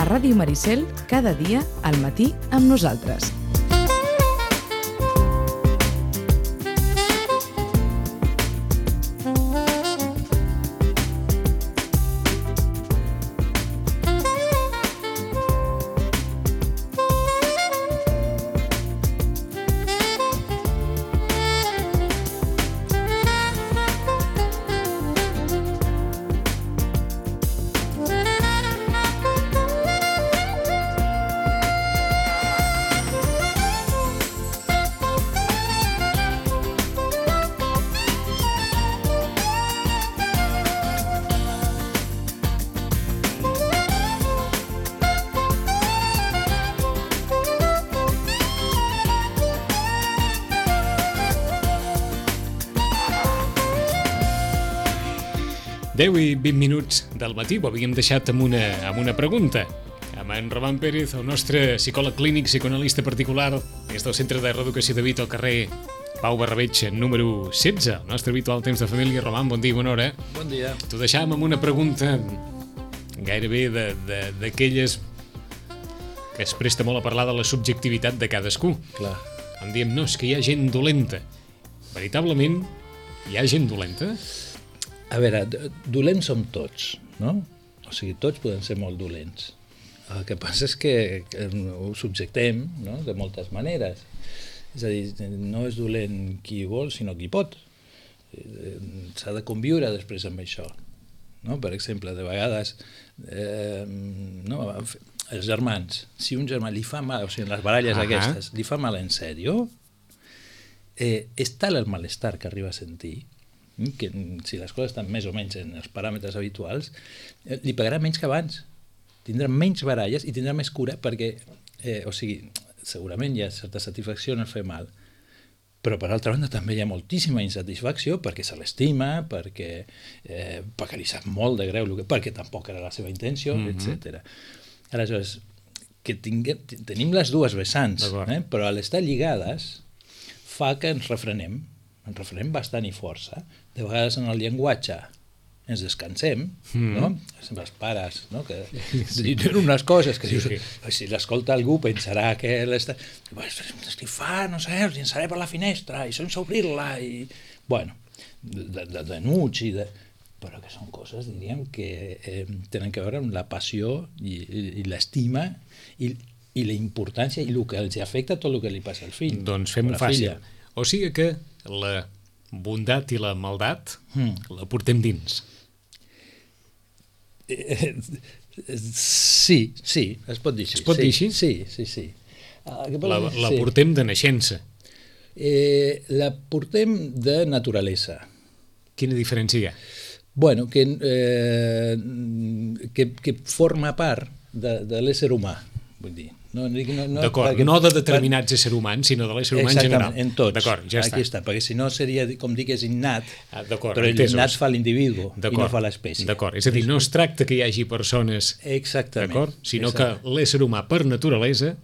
Ràdio Maricel, cada dia, al matí, amb nosaltres. Deu i 20 minuts del matí ho havíem deixat amb una pregunta. Amb en Roman Pérez, el nostre psicòleg clínic, psicoanalista particular, des del Centre de Reeducació de Vito al carrer Pau Barrabeig, número 16, el nostre habitual temps de família. Roman, bon dia, bona hora. Bon dia. T'ho deixàvem amb una pregunta gairebé d'aquelles que es presta molt a parlar de la subjectivitat de cadascú. Clar. En diem, no, és que hi ha gent dolenta. Veritablement, hi ha gent dolenta? A veure, dolents som tots, no? O sigui, tots podem ser molt dolents. El que passa és que ho subjectem, no?, de moltes maneres. És a dir, no és dolent qui vol, sinó qui pot. S'ha de conviure després amb això. No? Per exemple, de vegades, no, els germans, si un germà li fa mal, o sigui, en les baralles aquestes, li fa mal en sèrio, és tal el malestar que arriba a sentir que si les coses estan més o menys en els paràmetres habituals, li pagarà menys que abans, tindrà menys baralles i tindrà més cura perquè, o sigui, segurament hi ha certa satisfacció en el fer mal, però per altra banda també hi ha moltíssima insatisfacció perquè se l'estima, perquè li sap molt de greu, perquè tampoc era la seva intenció, etc. Aleshores, que tenim les dues vessants, però a l'estar lligades fa que ens refrenem bastant i força. De vegades en el llenguatge ens descansem, no? Els pares, no? Que diuen unes coses que dius, si l'escolta algú pensarà que què fa, no sé, us llançaré per la finestra i sense obrir-la, i bueno, denuig, però que són coses, diríem, que tenen a veure amb la passió i l'estima i la importància i el que els afecta tot el que li passa al fill. Doncs fem-ho fàcil. O sigui que la bondat i la maldat la portem dins. Sí, es pot dir així. Es pot dir així? Sí. La portem de naixença. La portem de naturalesa. Quina diferència hi ha? Bueno, que forma part de l'ésser humà, vull dir. D'acord, no de determinats éssers humans, sinó de l'ésser humà en general. Exactament, en tots. D'acord, ja està. Aquí està, perquè si no seria, com dic, és innat, però entesos. l'innat fa l'individu i no fa l'espècie. D'acord, és a dir, no es tracta que hi hagi persones, d'acord, sinó que l'ésser humà per naturalesa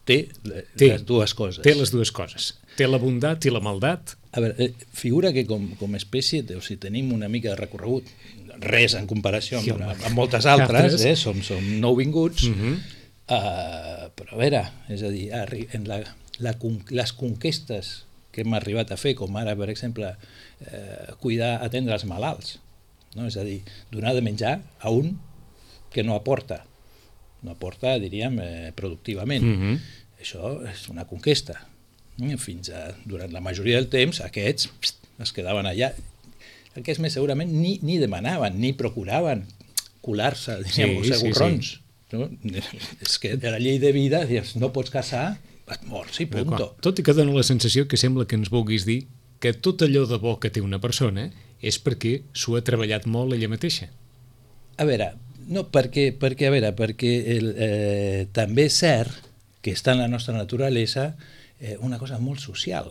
té les dues coses. Té les dues coses. Té la bondat i la maldat. A veure, figura que com a espècie, o sigui, tenim una mica de recorregut, res en comparació amb moltes altres, som nouvinguts, però a veure, és a dir, les conquestes que hem arribat a fer, com ara, per exemple, atendre els malalts, no? És a dir, donar de menjar a un que no aporta, diríem, productivament. Això és una conquesta. Durant la majoria del temps, aquests es quedaven allà. Aquests més segurament ni demanaven, ni procuraven colar-se, diríem, els segurrons. No? És que de la llei de vida, no pots casar, et mors i punto. Tot i que dona la sensació que sembla que ens vulguis dir que tot allò de bo que té una persona és perquè s'ho ha treballat molt ella mateixa. A veure, no, perquè també és cert que està en la nostra naturalesa una cosa molt social.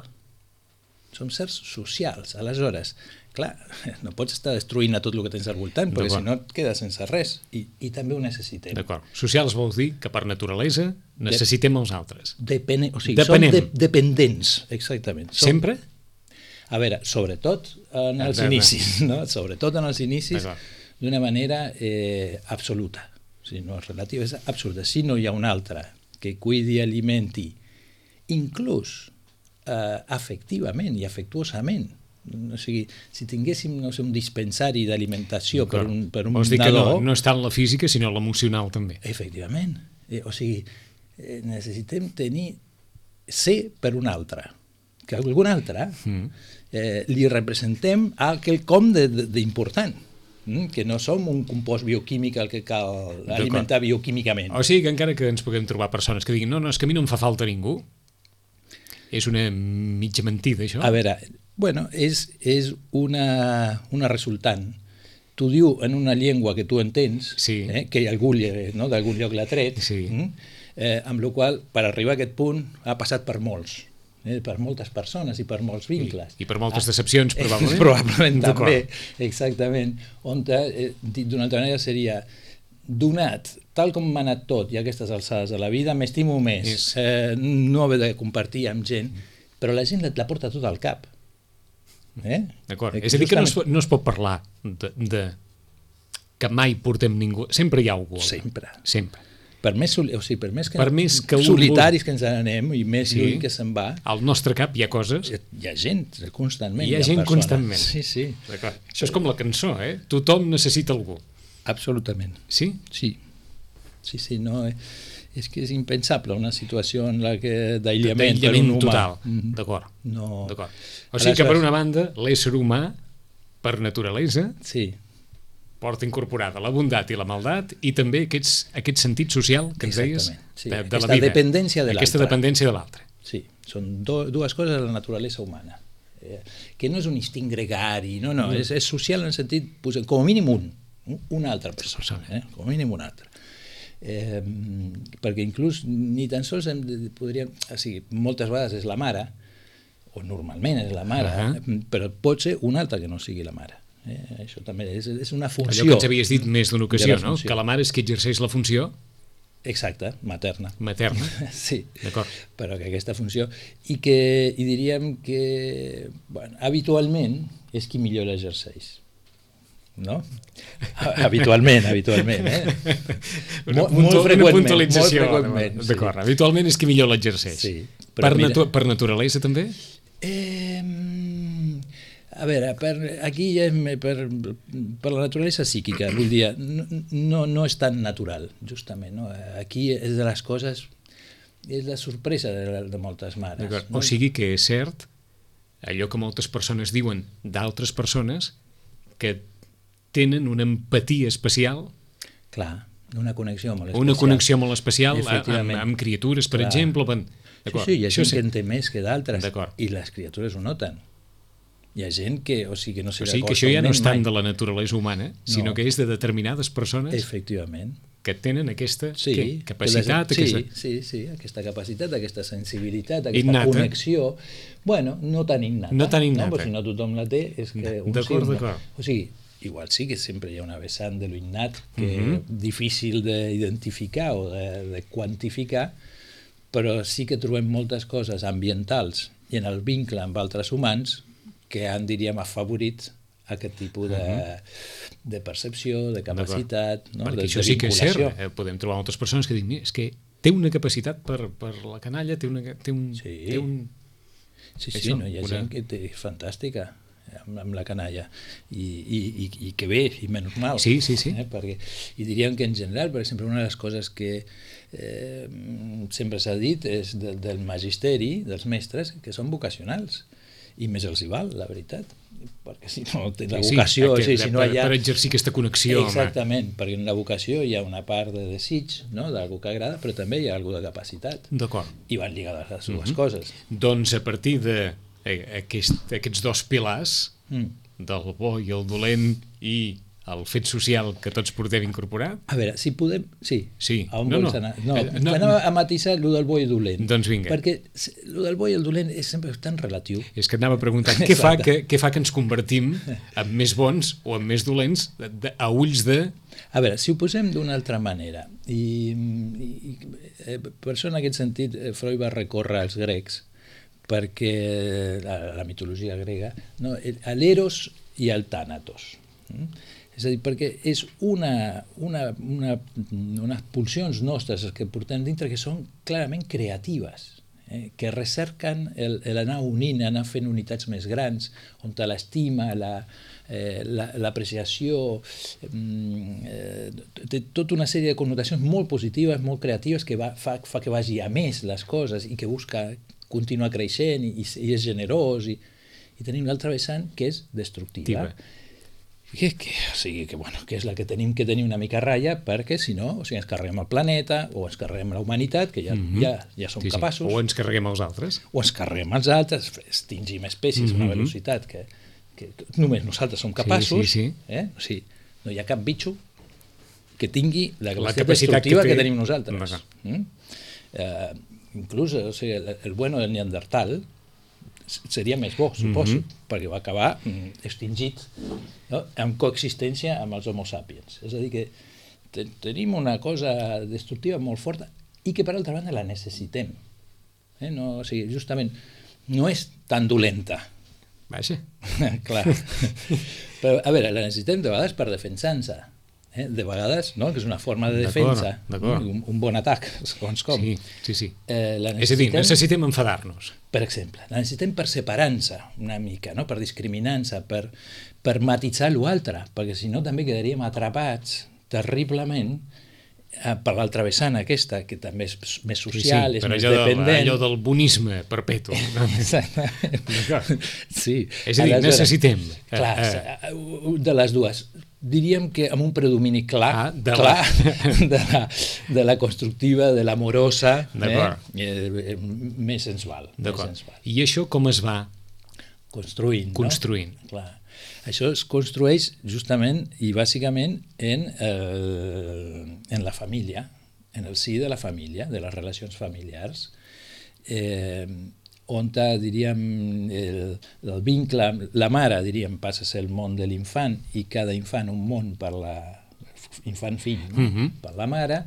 Som certs socials. Aleshores, clar, no pots estar destruint a tot el que tens al voltant, perquè si no et quedes sense res. I també ho necessitem. D'acord. Socials vols dir que per naturalesa necessitem els altres. Som dependents, exactament. Sempre? A veure, sobretot en els inicis, no? Sobretot en els inicis, d'una manera absoluta. O sigui, no és relativa, és absurda. Si no hi ha un altre que cuidi, alimenti, inclús afectivament i afectuosament, o sigui, si tinguéssim, no sé, un dispensari d'alimentació per un Vols dir que nadó... no està en la física, sinó en l'emocional també. Efectivament. O sigui, necessitem ser per un altre, que algun altre li representem a quelcom d'important, que no som un compost bioquímic al que cal alimentar bioquímicament. O sigui que encara que ens puguem trobar persones que diguin no, és que a mi no em fa falta ningú, és una mitja mentida, això? A veure, bueno, és una resultant. T'ho diu en una llengua que tu entens, que d'algun lloc l'ha tret, amb la qual, per arribar a aquest punt, ha passat per molts. Per moltes persones i per molts vincles. I per moltes decepcions, probablement. Probablement també, exactament. On, dit d'una altra manera, seria donat, tal com m'ha anat tot, i a aquestes alçades de la vida, m'estimo més no haver de compartir amb gent, però la gent la porta tot al cap. D'acord. És a dir, que no es pot parlar de que mai portem ningú. Sempre hi ha algú. Sempre. Per més que solitaris que ens anem i més lluny que se'n va... Al nostre cap hi ha coses... Hi ha gent constantment. Hi ha gent constantment. Sí. Això és com la cançó, Tothom necessita algú. Absolutament. Sí? Sí, no... És que és impensable una situació en la que d'aïllament per un humà. Total, d'acord. O sigui que per una banda, l'ésser humà, per naturalesa... Sí. porta incorporada la bondat i la maldat i també aquest sentit social que ens deies de la vida. Aquesta dependència de l'altre. Aquesta dependència de l'altre. Sí, són dues coses de la naturalesa humana. Que no és un instint gregari, no, és social en el sentit, com a mínim una altra persona, com a mínim una altra. Perquè inclús ni tan sols podríem... O sigui, moltes vegades és la mare, o normalment és la mare, però pot ser una altra que no sigui la mare. Això també és una funció. Allò que ens havies dit més d'una ocasió, no? Que la mare és qui exerceix la funció. Exacte, materna. Sí, d'acord. Però que aquesta funció... I diríem que habitualment és qui millor l'exerceix. No? Habitualment. Molt freqüentment. D'acord, habitualment és qui millor l'exerceix. Per naturalesa també? A veure, aquí ja per la naturalesa psíquica, vull dir, no és tan natural, justament. No? Aquí és de les coses, és la sorpresa de moltes mares. No? O sigui que és cert allò que moltes persones diuen d'altres persones que tenen una empatia especial. Clar, una connexió molt especial. Una connexió molt especial amb criatures, per exemple. Sí, hi ha gent que en té més que d'altres i les criatures ho noten. Hi ha gent que, no sé... O sigui que això ja no és tant de la naturalesa humana, sinó que és de determinades persones que tenen aquesta capacitat. Sí, aquesta capacitat, aquesta sensibilitat, aquesta connexió, no tan innata. No tan innata. Però si no tothom la té, és que D'acord. O sigui, igual sí que sempre hi ha una vessant de lo innat que és difícil d'identificar o de quantificar, però sí que trobem moltes coses ambientals i en el vincle amb altres humans que han, diríem, afavorit aquest tipus de percepció, de capacitat, de vinculació. Perquè això sí que és cert. Podem trobar moltes persones que diuen és que té una capacitat per la canalla, té un... Sí, hi ha gent que té fantàstica amb la canalla i que bé, i menys mal. Sí. I diríem que en general, per exemple, una de les coses que sempre s'ha dit és del magisteri, dels mestres, que són vocacionals. I més els hi val, la veritat, perquè si no té la vocació... Per exercir aquesta connexió. Exactament, perquè en la vocació hi ha una part de desig, d'algú que agrada, però també hi ha algú de capacitat. D'acord. I van lligades les dues coses. Doncs a partir d'aquests dos pilars, del bo i el dolent i el fet social que tots portem incorporat... A veure, si podem... Sí. A on vols anar? Anem a matisar allò del bo i el dolent. Doncs vinga. Perquè allò del bo i el dolent és sempre tan relatiu. És que anava preguntant què fa que ens convertim en més bons o en més dolents a ulls de... A veure, si ho posem d'una altra manera, i per això en aquest sentit Freud va recórrer als grecs, perquè la mitologia grega, l'eros i el tànatos. És a dir, perquè és unes pulsions nostres que portem dintre que són clarament creatives, que recerquen l'anar unint, anar fent unitats més grans, on l'estima, l'apreciació, té tota una sèrie de connotacions molt positives, molt creatives, que fa que vagi a més les coses i que busca continuar creixent i és generós. I tenim l'altra vessant, que és destructiva. Que és la que tenim que tenir una mica a ratlla, perquè si no ens carreguem el planeta o ens carreguem la humanitat, que ja som capaços. O ens carreguem els altres. O ens carreguem els altres, extingim espècies a una velocitat que només nosaltres som capaços. O sigui, no hi ha cap bitxo que tingui la capacitat destructiva que tenim nosaltres. Inclús el bueno del Neandertal seria més bo, suposo, perquè va acabar extingit en coexistència amb els Homo sapiens. És a dir, que tenim una cosa destructiva molt forta i que, per altra banda, la necessitem. Justament, no és tan dolenta. Vaja. Clar. Però, a veure, la necessitem de vegades per defensar-nos. De vegades, no? Que és una forma de defensa, un bon atac, segons com. Sí. És a dir, necessitem enfadar-nos. Per exemple, la necessitem per separar-nos una mica, per discriminar-nos, per matitzar l'altre, perquè si no també quedaríem atrapats terriblement per l'altra vessant aquesta, que també és més social, és més dependent. Allò del bonisme perpetu. Exactament. Sí. És a dir, necessitem. Clar, de les dues. Diríem que amb un predomini clar de la constructiva, de l'amorosa, més ens val. I això com es va construint? Clar. Això es construeix justament i bàsicament en la família, en el si de la família, de les relacions familiars, on, diríem, el vincle, la mare, diríem, passa a ser el món de l'infant i cada infant un món per l'infant-fill, per la mare,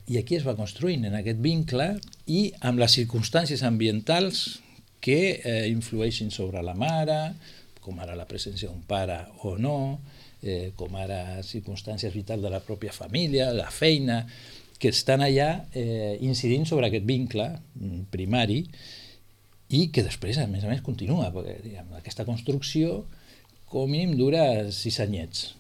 i aquí es va construint en aquest vincle i amb les circumstàncies ambientals que influeixin sobre la mare, com ara la presència d'un pare o no, com ara circumstàncies vitals de la pròpia família, la feina, que estan allà incidint sobre aquest vincle primari i que després, a més, continua, perquè diguem, aquesta construcció com a mínim dura 6 anyets,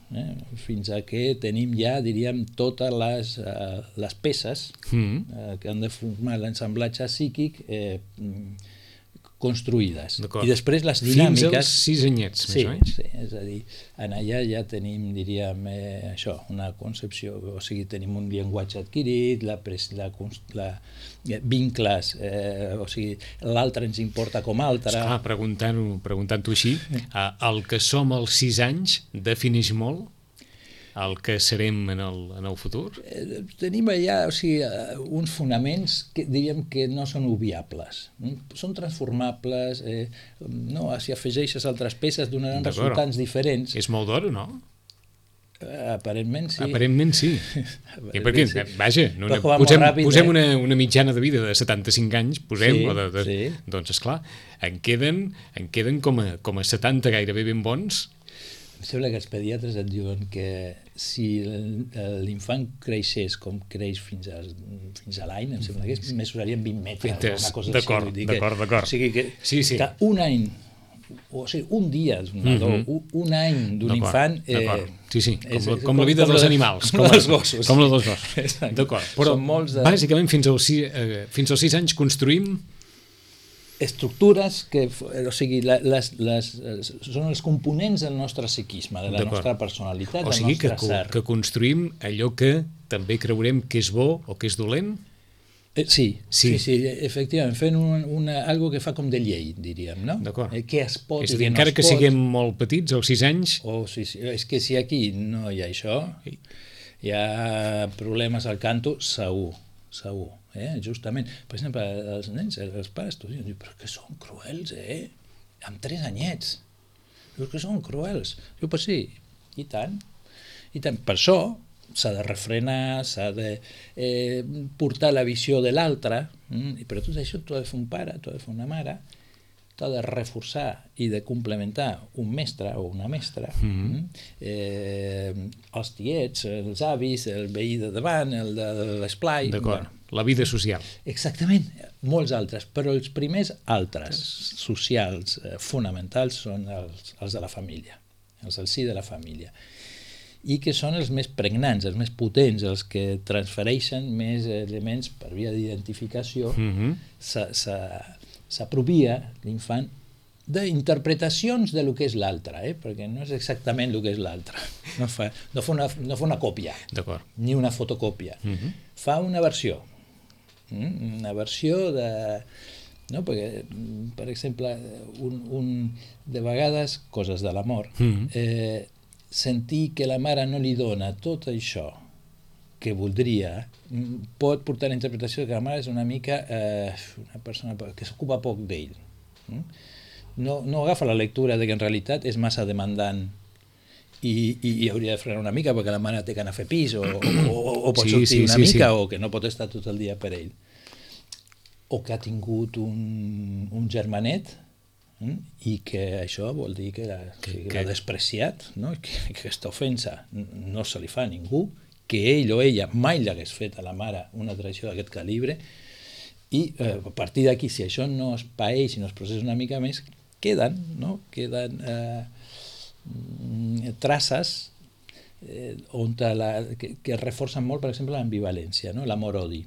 fins a que tenim ja, diríem, totes les peces que han de formar l'ensamblatge psíquic construïdes. I després les dinàmiques... Fins als 6 anyets, més o menys. Sí, és a dir, en allà ja tenim, diríem, això, una concepció, o sigui, tenim un llenguatge adquirit, vincles, o sigui, l'altre ens importa com altre... Esclar, preguntant-ho així, el que som als 6 anys defineix molt el que serem en el futur? Tenim allà uns fonaments que diríem que no són obviables. Són transformables, si afegeixes altres peces donaran resultats diferents. És molt d'hora, no? Aparentment sí. Aparentment sí. Perquè, vaja, posem una mitjana de vida de 75 anys, doncs esclar, en queden com a 70 gairebé ben bons. Em sembla que els pediatres et diuen que si l'infant creixés com creix fins a l'any, em sembla que mesurarien 20 metres. D'acord. O sigui que un any, o sigui, un dia d'un nadó, un any d'un infant... Sí, com la vida dels animals. Com la dels gossos. D'acord, però bàsicament fins als 6 anys construïm estructures que, o sigui, són els components del nostre psiquisme, de la nostra personalitat, del nostre ser. Que construïm allò que també creurem que és bo o que és dolent? Sí, efectivament, fent algo que fa com de llei, diríem, no? D'acord. Què es pot i què no es pot. És a dir, encara que siguem molt petits, als 6 anys... Sí, és que si aquí no hi ha això, hi ha problemes al canto, segur. Justament, per exemple, els nens, els pares t'ho diuen, però que són cruels, amb 3 anyets, dius que són cruels. Diu, però sí, i tant. Per això s'ha de refrenar, s'ha de portar la visió de l'altre, però tot això t'ho ha de fer un pare, t'ho ha de fer una mare, t'ha de reforçar i de complementar un mestre o una mestra, els tiets, els avis, el veí de davant, el de l'esplai... D'acord, la vida social. Exactament, molts altres, però els primers altres socials fonamentals són els de la família, els del si de la família, i que són els més pregnants, els més potents, els que transfereixen més elements per via d'identificació. S'apropia l'infant d'interpretacions de lo que és l'altre, perquè no és exactament el que és l'altre. No fa una còpia, ni una fotocòpia. Fa una versió de... No? Perquè, per exemple, de vegades, coses de l'amor, sentir que la mare no li dona tot això que voldria pot portar a la interpretació que la mare és una mica una persona que s'ocupa poc d'ell. No agafa la lectura de que en realitat és massa demandant i hauria de frenar una mica perquè la mare té que anar a fer pis o pot sortir una mica o que no pot estar tot el dia per ell. O que ha tingut un germanet i que això vol dir que l'ha despreciat, que aquesta ofensa no se li fa a ningú, que ell o ella mai l'hagués fet a la mare una traïció d'aquest calibre, i a partir d'aquí, si això no es paeix i no es processa una mica més, queden traces que reforcen molt, per exemple, l'ambivalència, l'amor-odi.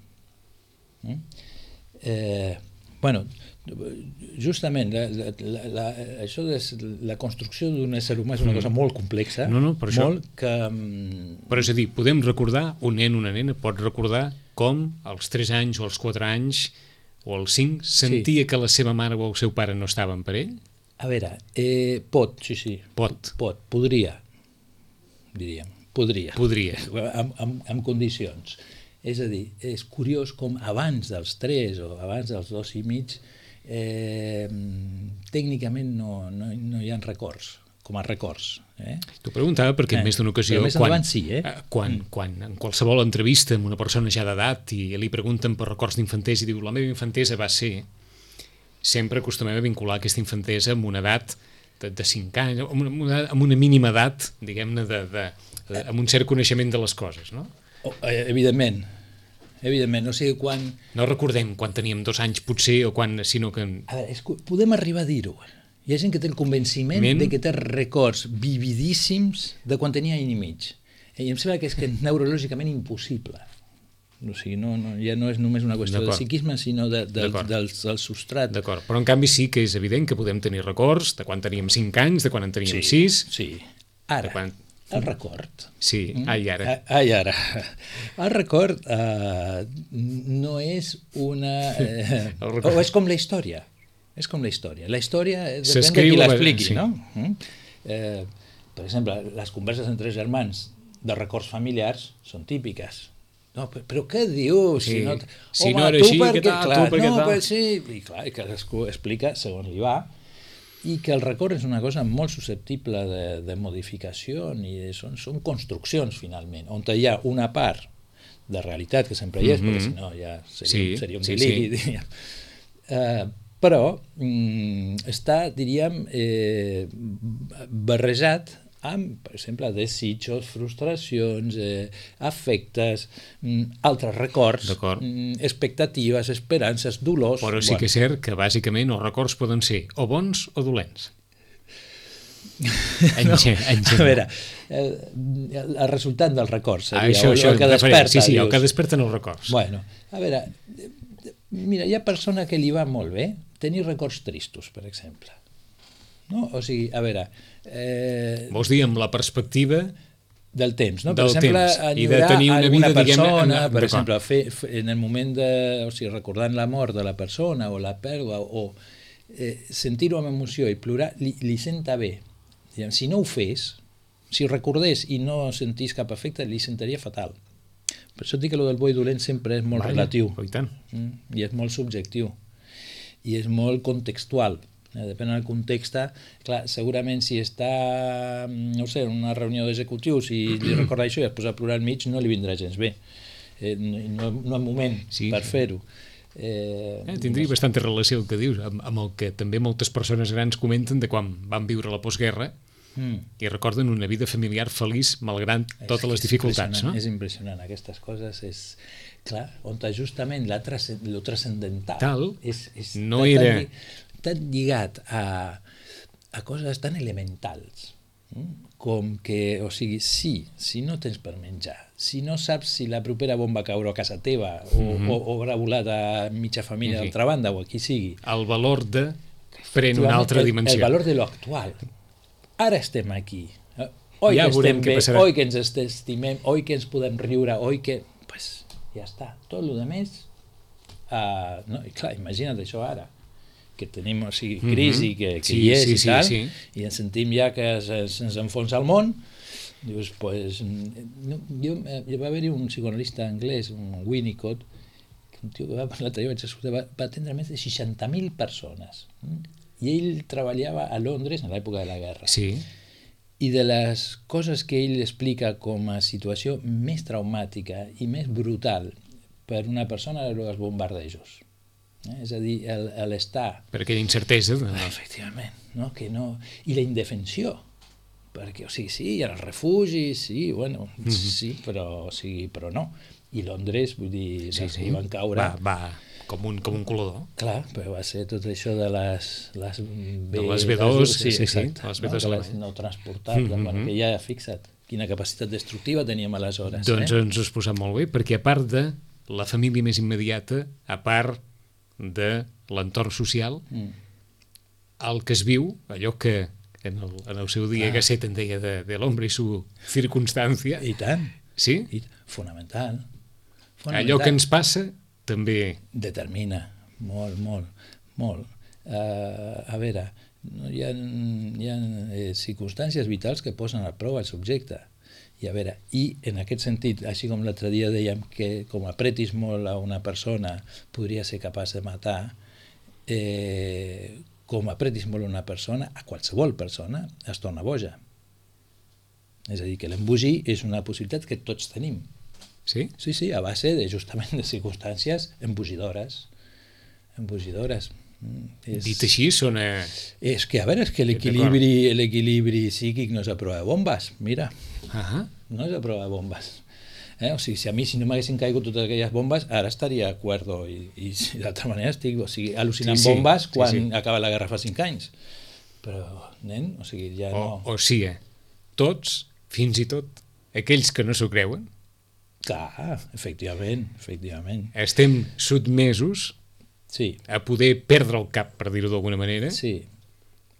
Justament això de la construcció d'un ésser humà és una cosa molt complexa, però és a dir, podem recordar, un nen o una nena pot recordar com als 3 anys o als 4 anys o als 5 sentia que la seva mare o el seu pare no estaven per ell? A veure, pot, sí. Podria, diríem. Podria. Amb condicions. És a dir, és curiós com abans dels 3 o abans dels 2 i mig tècnicament no hi ha records, com a records. T'ho preguntava perquè en més d'una ocasió, quan en qualsevol entrevista amb una persona ja d'edat i li pregunten per records d'infantesa i diu la meva infantesa va ser, sempre acostumem a vincular aquesta infantesa amb una edat de 5 anys, amb una mínima edat, diguem-ne, amb un cert coneixement de les coses, no? Evidentment, o sigui, quan... No recordem quan teníem 2 anys, potser, o quan, sinó que... A veure, podem arribar a dir-ho. Hi ha gent que té el convenciment de que té records vividíssims de quan tenia any i mig. I em sembla que és neurològicament impossible. O sigui, ja no és només una qüestió de psiquisme, sinó del substrat. D'acord, però en canvi sí que és evident que podem tenir records de quan teníem 5 anys, de quan en teníem 6... Sí, ara... El record. Sí, ara. El record no és una... O és com la història. És com la història. La història depèn de qui l'expliqui, no? Per exemple, les converses entre germans de records familiars són típiques. No, però què dius? Si no era així, què tal? Tu per què tal? Sí, i clar, que cadascú explica segons li va, i que el record és una cosa molt susceptible de modificació i són construccions, finalment, on hi ha una part de realitat que sempre hi és, perquè si no ja seria un deliri, diríem. Però està, diríem, barrejat amb, per exemple, desitjos, frustracions, afectes, altres records, expectatives, esperances, dolors... Però sí que és cert que, bàsicament, els records poden ser o bons o dolents. A veure, el resultat dels records seria el que desperta. Sí, el que desperten els records. Bueno, a veure, mira, hi ha persona que li va molt bé tenir records tristos, per exemple. No? O sigui, a veure... Vols dir amb la perspectiva del temps, no? Per exemple, enyorar alguna persona, per exemple, en el moment de... O sigui, recordant la mort de la persona o la pèrdua, o sentir-ho amb emoció i plorar, li senta bé. Si no ho fes, si recordés i no sentís cap efecte, li sentaria fatal. Per això dic que el del bo i dolent sempre és molt relatiu. I és molt subjectiu. I és molt contextual. Depèn del context. Clar, segurament si està, no sé, en una reunió d'executius i li recorda això i es posa a plorar al mig, no li vindrà gens bé. No hi ha moment per fer-ho. Tindria bastanta relació el que dius amb el que també moltes persones grans comenten de quan van viure la postguerra i recorden una vida familiar feliç malgrat totes les dificultats, no? És impressionant, aquestes coses és... Clar, on justament lo transcendental no era tan lligat a coses tan elementals com que, o sigui, si no tens per menjar, si no saps si la propera bomba caurà a casa teva o haurà volat a mitja família d'altra banda o a qui sigui. El valor de pren una altra dimensió. El valor de lo actual. Ara estem aquí. Oi que estem bé, oi que ens estimem, oi que ens podem riure, oi que... Pues ja està. Tot el demés... I clar, imagina't això ara, que tenim crisi que hi és i tal, i ens sentim ja que ens enfonsa el món. Dius, pues... Va haver-hi un psicoanalista anglès, un Winnicott, un tio que va atendre més de 60.000 persones. I ell treballava a Londres en l'època de la guerra. Sí. I de les coses que ell explica com a situació més traumàtica i més brutal per una persona eren els bombardejos. És a dir, l'estar... Per aquella incertesa. Efectivament. No? Que no... I la indefensió. Perquè, o sigui, sí, hi ha els refugis, sí, bueno, sí, però no. I Londres, vull dir, hi van caure... Va com un colador. Clar, però va ser tot això de les B2, sí, exacte, les B2 les no transportables, que ja fixa't quina capacitat destructiva teníem aleshores. Doncs ens ho has posat molt bé, perquè a part de la família més immediata, a part de l'entorn social, el que es viu, allò que en el seu dia Gasset en deia de l'hombre i su circumstància. I tant. Sí? Fonamental. Allò que ens passa també... Determina, molt. A veure, hi ha circumstàncies vitals que posen a prova el subjecte. I a veure, en aquest sentit, així com l'altre dia dèiem que com apretis molt a una persona podria ser capaç de matar, com apretis molt a una persona, a qualsevol persona, es torna boja. És a dir, que l'embogir és una possibilitat que tots tenim. Sí? Sí, a base justament de circumstàncies embogidores. Dit així, sona... És que, a veure, és que l'equilibri psíquic no és a prova de bombes, mira. No és a prova de bombes. O sigui, si no m'haguessin caigut totes aquelles bombes, ara estaria cuerdo i d'altra manera estic al·lucinant bombes quan acaba la guerra fa 5 anys. Però, nen, o sigui, ja no... O sigui, tots, fins i tot, aquells que no s'ho creuen, clar, efectivament. Estem sotmesos a poder perdre el cap, per dir-ho d'alguna manera. Sí,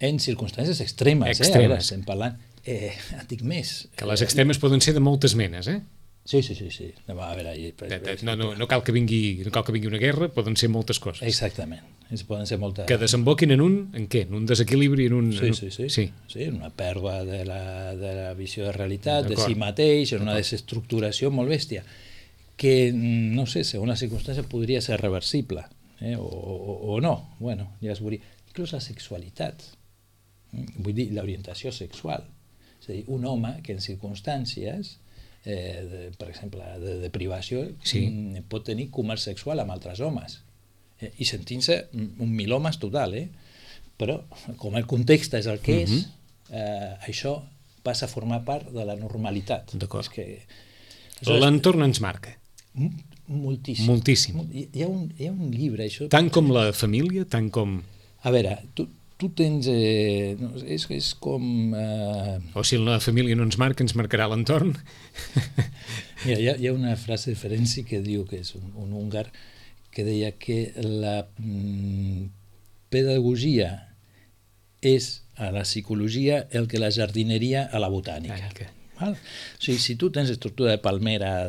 en circumstàncies extremes. Ara estem parlant, et dic més. Que les extremes poden ser de moltes menes, Sí. A veure, no cal que vingui una guerra, poden ser moltes coses. Exactament. Poden ser moltes... Que desemboquin en què? En un desequilibri, Sí, en una pèrdua de la visió de realitat, de si mateix, en una desestructuració molt bèstia, que, no sé, segons la circumstància podria ser reversible, o no, bueno, ja es veuria. Inclús la sexualitat, vull dir, l'orientació sexual. És a dir, un home que en circumstàncies... per exemple, de privació, pot tenir comerç sexual amb altres homes i sentint-se un milhomes total, però com el context és el que és, això passa a formar part de la normalitat. D'acord. L'entorn ens marca. Moltíssim. Hi ha un llibre, això... Tant com la família, tant com... A veure, tu tens... és com... O si la família no ens marca, ens marcarà l'entorn. Mira, hi ha una frase de Ferenczi que diu, que és un húngar, que deia que la pedagogia és a la psicologia el que la jardineria a la botànica. Val? O sigui, si tu tens estructura de palmera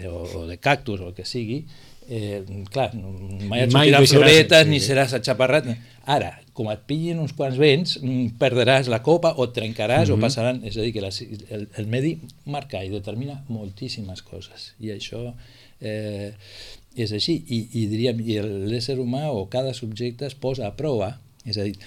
o de cactus o el que sigui, clar, mai et sortirà floretes ni seràs atxaparrat. Ara, com et pillin uns quants vents, perdràs la copa o et trencaràs o passaran... És a dir, que el medi marca i determina moltíssimes coses. I això és així. I diríem, l'ésser humà o cada subjecte es posa a prova, és a dir,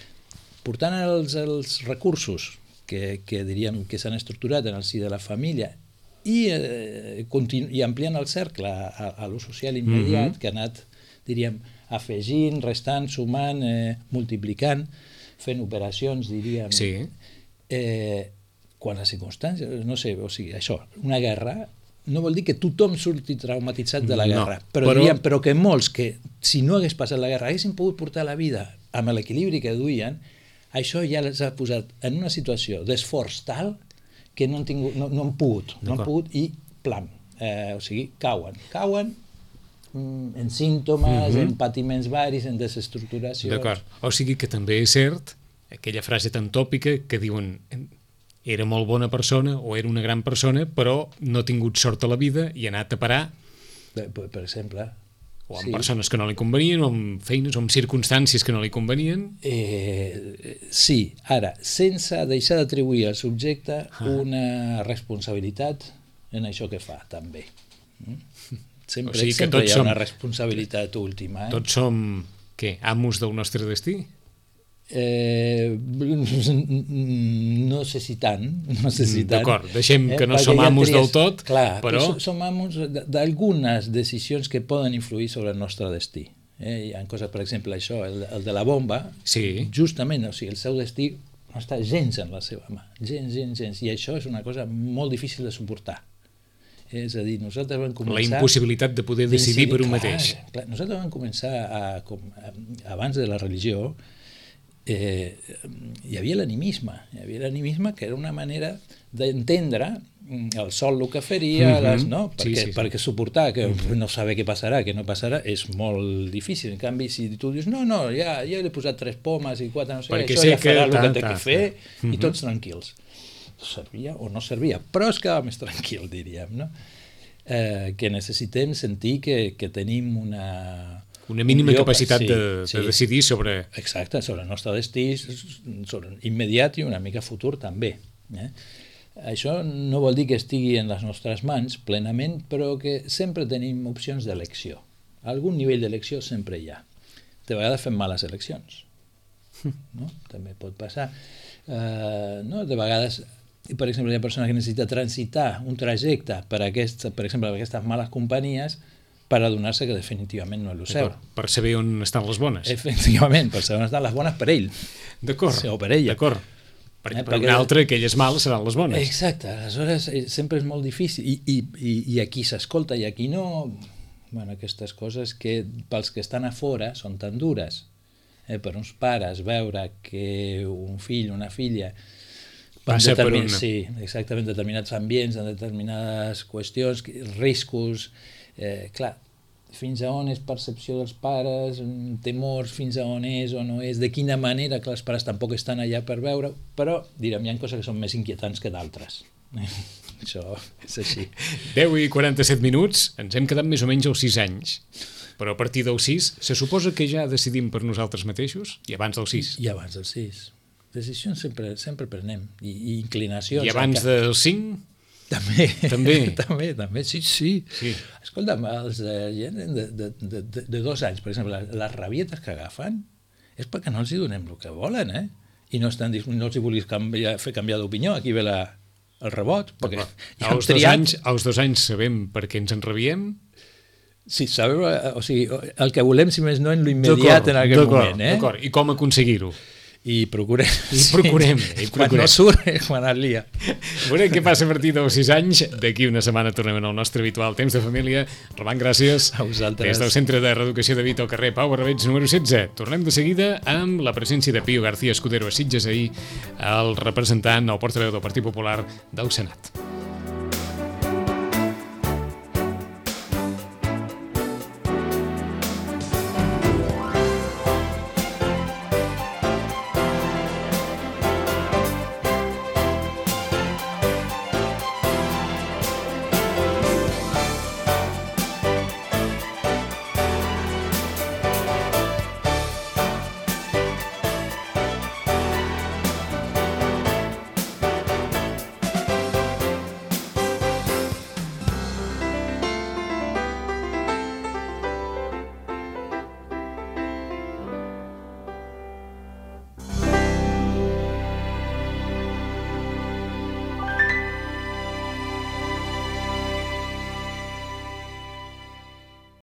portant els recursos que diríem que s'han estructurat en el si de la família i ampliant el cercle a l'ús social immediat que ha anat, diríem, afegint, restant, sumant, multiplicant, fent operacions, diríem. Sí. Quan les circumstàncies, no sé, o sigui, això, una guerra no vol dir que tothom surti traumatitzat de la guerra, però que molts que, si no hagués passat la guerra, haguessin pogut portar la vida amb l'equilibri que duien, això ja els ha posat en una situació d'esforç tal que no han pogut i plam, o sigui, cauen en símptomes, en patiments varis, en desestructuracions. D'acord, o sigui que també és cert aquella frase tan tòpica que diuen era molt bona persona o era una gran persona, però no ha tingut sort a la vida i ha anat a parar per exemple, o amb persones que no li convenien, o amb feines, o amb circumstàncies que no li convenien. Sí, ara, sense deixar d'atribuir al subjecte una responsabilitat en això que fa, també. Sempre hi ha una responsabilitat última. Tots som, què, amos del nostre destí? No sé si tant. D'acord, deixem que no som amos del tot, però... Som amos d'algunes decisions que poden influir sobre el nostre destí. Hi ha coses, per exemple, això, el de la bomba, justament, o sigui, el seu destí no està gens en la seva mà, gens, i això és una cosa molt difícil de suportar. És a dir, nosaltres vam començar... La impossibilitat de poder decidir per un mateix. Nosaltres vam començar, abans de la religió, hi havia l'animisme, que era una manera d'entendre el sol el que faria, perquè suportar que no saber què passarà, què no passarà, és molt difícil. En canvi, si tu dius, no, ja he posat 3 pomes i 4, no sé, això ja farà el que té que fer, i tots tranquils. Servia o no servia, però es quedava més tranquil, diríem, no? Que necessitem sentir que tenim una mínima capacitat de decidir sobre... Exacte, sobre el nostre destí, sobre immediat i una mica futur també. Això no vol dir que estigui en les nostres mans plenament, però que sempre tenim opcions d'elecció. Algun nivell d'elecció sempre hi ha. De vegades fem males eleccions. També pot passar. De vegades... Per exemple, hi ha persones que necessiten transitar un trajecte per exemple, per aquestes males companyies per adonar-se que definitivament no és el seu. Per saber on estan les bones. Efectivament, per saber on estan les bones per ell. D'acord, o per ella. D'acord. Per un altre, aquelles males seran les bones. Exacte, aleshores sempre és molt difícil. I aquí s'escolta i aquí no... Bueno, aquestes coses que pels que estan a fora són tan dures. Per uns pares veure que un fill, una filla... passa per un... Sí, exactament, determinats ambients, en determinades qüestions, riscos, clar, fins a on és percepció dels pares, temors, fins a on és o no és, de quina manera, que els pares tampoc estan allà per veure, però, direm, hi ha coses que són més inquietants que d'altres. Això és així. 10 i 47 minuts, ens hem quedat més o menys als 6 anys, però a partir dels 6, se suposa que ja decidim per nosaltres mateixos? I abans dels 6? I abans dels 6. Decisions sempre prenem, i inclinacions... I abans dels 5? També, sí. Escolta'm, els de 2 anys, per exemple, les rabietes que agafen és perquè no els hi donem el que volen, i no els hi vulguis fer canviar d'opinió, aquí ve el rebot, perquè als 2 anys sabem per què ens enrabiem? Sí, sabem, o sigui, el que volem, si més no, en l'immediat en aquest moment. D'acord, i com aconseguir-ho? I procurem. Quan no surt, quan es lia. Veurem què passa a partir dels 6 anys. D'aquí una setmana tornem al nostre habitual temps de família. Roman, gràcies. A vosaltres. Des del Centre de Reeducació de Vita al carrer Pau Barrabets número 16. Tornem de seguida amb la presència de Pío García Escudero a Sitges, ahir el representant, el portaveu del Partit Popular del Senat.